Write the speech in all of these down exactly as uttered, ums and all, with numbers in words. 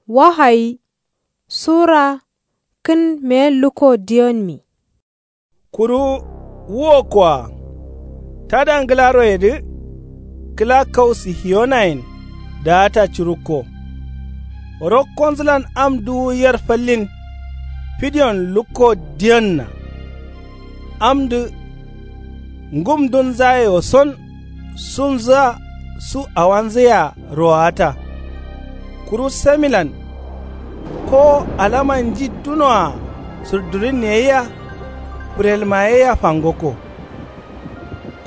Wahayi sura kǝn meyen lukko diyonmi. Kuru wuwokkoa tada ngǝlaroyedǝ kǝla kau sihiyonayen daata curukko. Rokkonzǝlan am duwu yer fallin fidiyon lukko diyonna. Amdǝ ngumdunzayewo son sunzǝa su awanzǝyea rowata. Kuru samilan ko alama nji dunoa sǝrdurinne yea fǝrelma yea fangokko.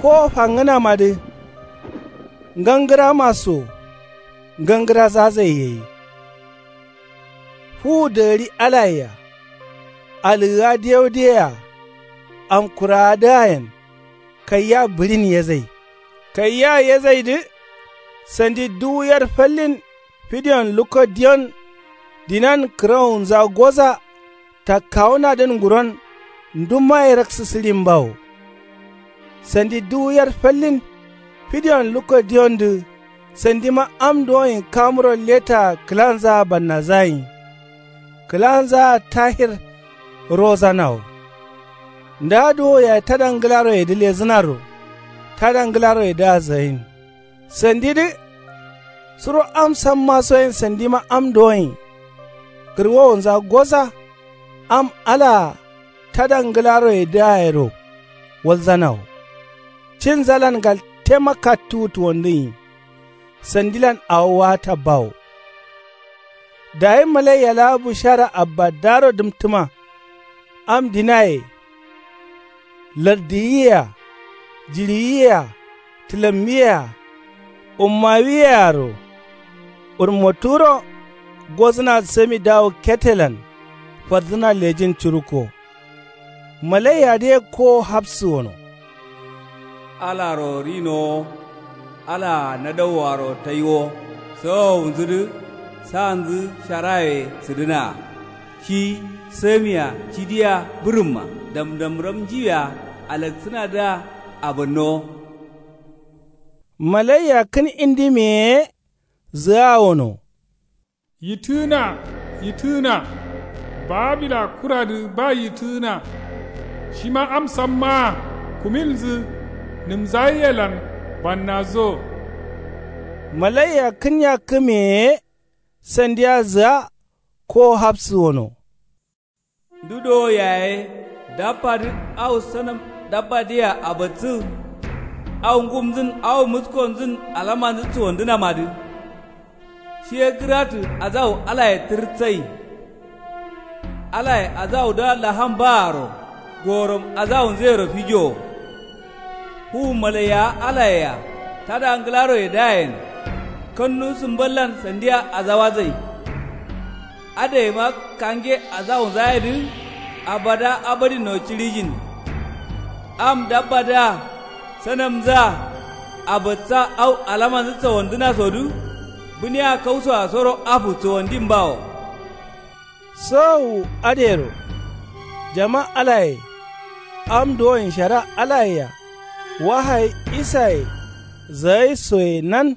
Ko fangǝnamadǝ ngangǝrama so ngangǝrazazai gai. Fuwu dagǝri alayea alǝgǝa diyaudiyeya amkuraadǝayen kaiya bǝɍin yezai. Kaiya yezaidǝ sandi duwu yer fallin fidiyon lukko diyon dinan kǝrowunza goza takkawunadǝn nguron ndumma ye raksǝsǝɍimbawo. Sandi duwu yer fallin fidiyon lukko diyondǝ sandima am duwoin kamuro letaa kǝlanzaa bannazagai. Kǝlanzaa tahir rozanawo. Nda duwo yayi tada ngǝlaroyedǝ lezǝnaro tada ngǝlaroyedǝa zayin. Sandidǝ suro am sammasoyen sandima am duwoin kǝrwowunza goza am alaa tada ngǝlaroyedǝa yero walzanawo. Cinzalan galtema kattuwu tuwondǝnyi. Sandilan awo waata bawo. Dayi malaiya laa bushara abbadaaro dǝmtǝma am dinaye lardiyiyea jiɍiyiyea tǝlammiyea ummawiyearo urmoturo gozǝna sami dawu ketelan fardǝna lejin curukko. Malaiyadǝ ye kowo hapsǝ wono. Alaro rinowo alaa nadauwaro taiwo sawowunzudǝ sanzǝ sharaye sǝdǝnaa. Shi samia cidiya bǝrǝmma damdamram njiwia alaksǝnadǝa abǝnnowo. Malaiya kǝn indimiye ye zǝgaa wono. Yitǝgǝna, yitǝgǝna. Babila kuradǝ ba yitǝgǝna. Shima am sammaa kumilnzǝ nǝmzaiyelan bannazo. Malaiya kǝn yakkǝmiye ye sandia zǝga kowo hapsǝ wono. Ndu dowo yaye dabbadǝ au sanam dabbadǝyea abatsǝ. Au ngumnzǝn au muskonzǝn alamanzǝ suwandǝnamadǝ. Shi ye gǝratǝ azawu alaye tǝrtsai. Alaye azawudǝa laham baaro gorom azawunzǝyero fijowo. Fuwu malaiyawa alayea tada ngǝlaroyedǝayen kannu sǝmballan sandia azawadzai. Adǝgaima kange azawunzayedǝ abada abadinno ciɍijin. Am dabbadǝa sanamnzǝa abatsa au alamanzǝ sawandǝnasodǝ bǝniya kausoa soro afu sawandin bawo. Sawu adǝyero jama alaye am duwoin shara alayea wahayi isaye zagai soye nan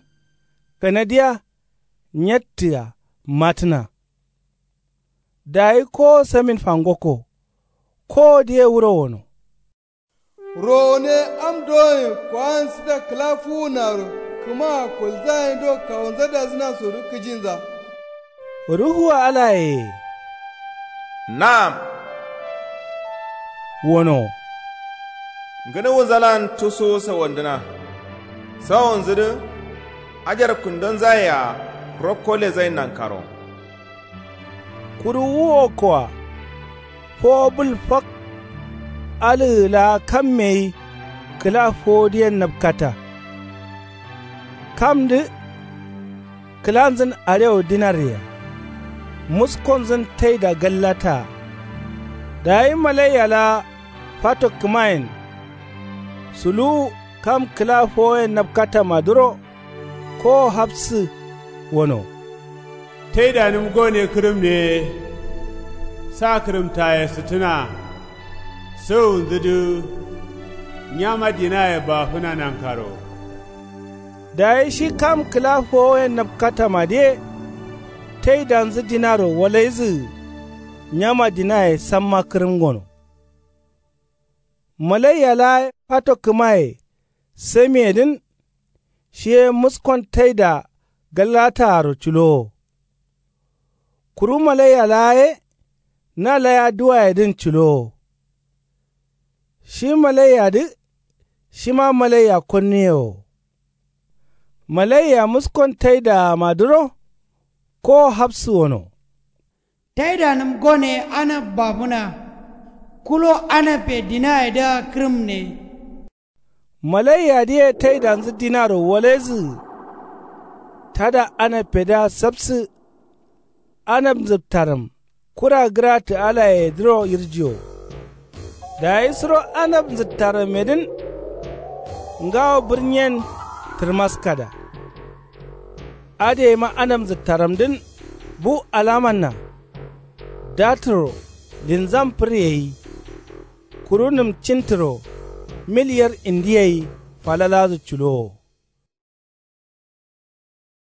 kanadiya nyattǝa matǝna. Dayi kowo samin fangokko. Kowodǝ ye wuro wono. Rowone am dowoin kowansǝda kǝla fuwunaro kǝmaa kolzagaindo kawunzadazǝnasodǝ kǝjinza. Ruhua alaye ye. Na'am. Wono. Ngǝnuwunzalan tusuwu sawandǝna. Sawonzudǝ ajar kundonzayea rokko lezain nankaro. Kuru wu wokkoa fowo bǝl fak alǝgǝ laa kamme gai kǝla fowodǝyen napkata. Kamdǝ kǝlanzǝn arewu dinarye-a muskonzǝn taida gallataa. Dayi malaiya laa fato kǝmayen suluwu kam kǝla fowoyen napkatamadǝro kowo hapsǝ wono. Taidanǝm gone kǝrǝmne ye sa kǝrǝmtaye sǝtǝna. Sawunzudǝ nyama dinaye bafǝna nankaro. Dayi shi kam kǝla fowoyen napkatamadǝye taidanzǝ dinaro walaizǝgǝ. Nyama dinaye samma kǝrǝm gono. Malaiya laa ye fato kǝmaye samiyedǝn. Shi ye muskon taida galataaro culowo. Kuru malaiya laa ye na laya duwayedǝn culowo. Shi malaiyadǝ shima malaiya konnuye wo. Malaiya muskon taidaama dǝro kowo hafsǝ wono. Taidanǝm gone anab bafǝna. Kulo anabbe dinayedǝa kǝrǝmne. Malaiyadǝye taidanzǝ dinaro walaizǝgǝ. Tada anabbedǝa sapsǝ. Anab nzǝptarǝm kura gǝratǝ alayedǝro yirjiyo. Dayi suro anab nzǝttarǝmedǝn ngawo bǝrnyen tǝrmaskada. Adǝyeima anab nzǝttarǝmdǝn bu alamanna. Datǝro linzam fǝryeyi. Kuru nǝm cintǝro mil yer indi gai falaladǝ culowo.